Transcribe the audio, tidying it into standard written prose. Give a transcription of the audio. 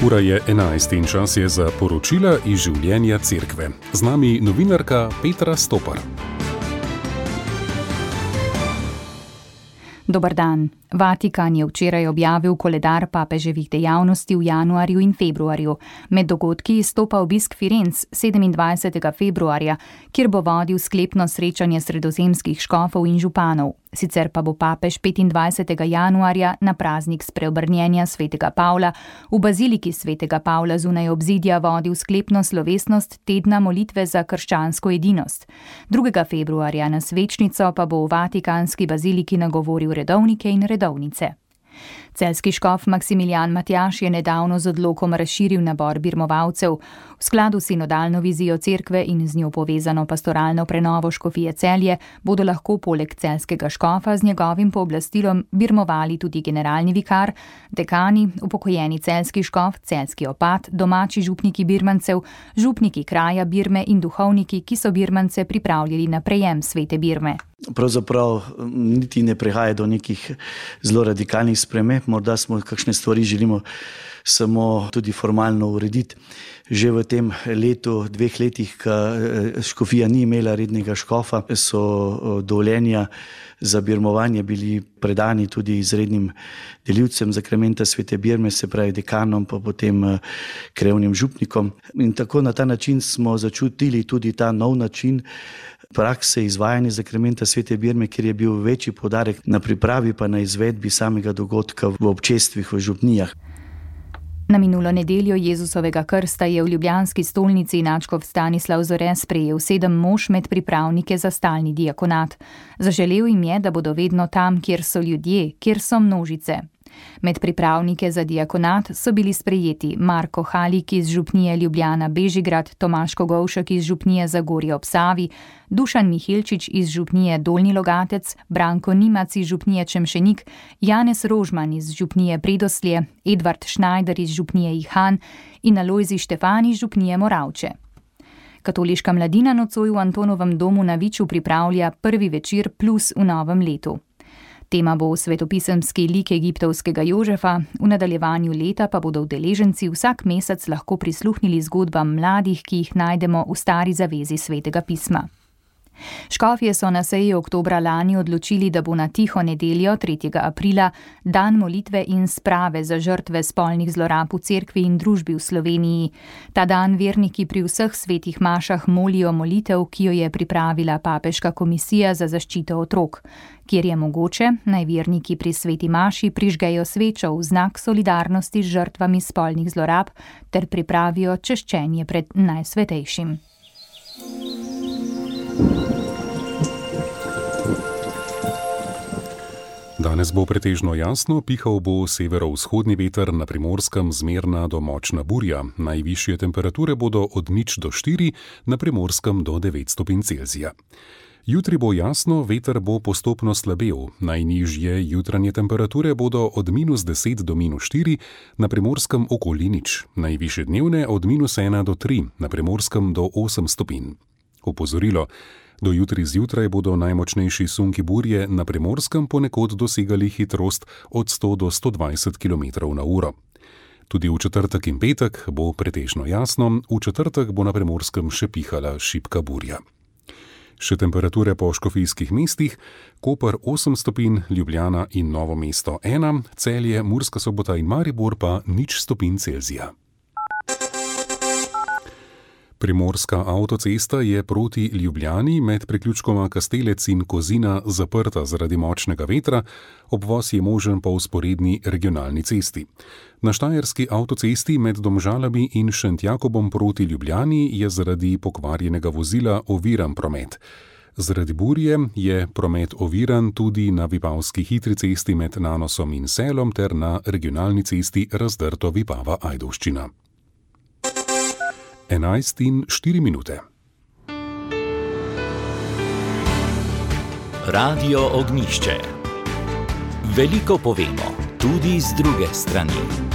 Ura je 11 in čas je za poročila iz življenja cerkve. Z nami novinarka Petra Stopar. Dober dan. Vatikan je včeraj objavil koledar papeževih dejavnosti v januarju in februarju. Med dogodki izstopa obisk Firenc 27. februarja, kjer bo vodil sklepno srečanje sredozemskih škofov in županov. Sicer pa bo papež 25. januarja na praznik spreobrnjenja svetega Pavla v baziliki svetega Pavla zunaj obzidja vodil sklepno slovesnost tedna molitve za krščansko edinost. 2. februarja na svečnico pa bo v vatikanski baziliki nagovoril redovnike in redovnice. Celjski škof Maksimilijan Matjaž je nedavno z odlokom razširil nabor birmovalcev. V skladu s sinodalno vizijo cerkve in z njo povezano pastoralno prenovo škofije Celje bodo lahko poleg celjskega škofa z njegovim pooblastilom birmovali tudi generalni vikar, dekani, upokojeni celjski škof, celjski opat, domači župniki birmancev, župniki kraja Birme in duhovniki, ki so birmance pripravljali na prejem svete Birme. Pravzaprav niti ne prihaja do nekih zelo radikalnih sprememb, morda smo kakšne stvari želimo samo tudi formalno urediti. Že v tem letu, 2 letih, ko škofija ni imela rednega škofa, so dovoljenja za birmovanje bili predani tudi izrednim delivcem zakramenta svete Birme, se pravi dekanom, pa potem krajevnim župnikom. In tako na ta način smo začutili tudi ta nov način prakse izvajanja zakramenta svete Birme, kjer je bil večji poudarek na pripravi pa na izvedbi samega dogodka v občestvih, v župnijah. Na minulo nedeljo Jezusovega krsta je v ljubljanski stolnici nadškof Stanislav Zore sprejel 7 mož med pripravnike za stalni diakonat. Zaželel jim je, da bodo vedno tam, kjer so ljudje, kjer so množice. Med pripravnike za diakonat so bili sprejeti Marko Halik iz župnije Ljubljana Bežigrad, Tomaž Kogovšek iz župnije Zagorje ob Savi, Dušan Mihilčič iz župnije Dolnji Logatec, Branko Nimac iz župnije Čemšenik, Janez Rožman iz župnije Predoslje, Edvard Šnajder iz župnije Ihan in Alojzij Štefan iz župnije Moravče. Katoliška mladina nocoj v Antonovem domu na Viču pripravlja prvi večer plus v novem letu. Tema bo svetopisemski lik egiptovskega Jožefa, v nadaljevanju leta pa bodo udeleženci vsak mesec lahko prisluhnili zgodbam mladih, ki jih najdemo v stari zavezi svetega pisma. Škofje so na seji oktobra lani odločili, da bo na tiho nedeljo 3. aprila dan molitve in sprave za žrtve spolnih zlorab v cerkvi in družbi v Sloveniji. Ta dan verniki pri vseh svetih mašah molijo molitev, ki jo je pripravila papeška komisija za zaščito otrok. Kjer je mogoče, naj verniki pri sveti maši prižgejo svečo v znak solidarnosti z žrtvami spolnih zlorab ter pripravijo češčenje pred najsvetejšim. Danes bo pretežno jasno, pihal bo severovzhodni veter, na Primorskem zmerna do močna burja. Najvišje temperature bodo od 0 do 4, na Primorskem do 9 stopinj Celzija. Jutri bo jasno, veter bo postopno slabel. Najnižje jutranje temperature bodo od -10 do -4, na Primorskem okoli 0. Najvišje dnevne od -1 do 3, na Primorskem do 8 stopinj. Opozorilo. Do jutri zjutraj bodo najmočnejši sunki burje na Primorskem ponekod dosegali hitrost od 100 do 120 km/h. Tudi v četrtek in petek bo pretežno jasno, v četrtek bo na Primorskem še pihala šibka burja. Še temperature po škofijskih mestih: Koper 8 stopinj, Ljubljana in Novo mesto 1, Celje, Murska Sobota in Maribor pa 0 stopinj Celzija. Primorska avtocesta je proti Ljubljani med priključkoma Kastelec in Kozina zaprta zaradi močnega vetra, obvoz je možen po vzporedni regionalni cesti. Na štajerski avtocesti med Domžalami in Šentjakobom proti Ljubljani je zaradi pokvarjenega vozila oviran promet. Zaradi burje je promet oviran tudi na vipavski hitri cesti med Nanosom in Selom ter na regionalni cesti Razdrto Vipava-Ajdovščina. 11:04. Radio Ognjišče. Veliko povemo, tudi z druge strani.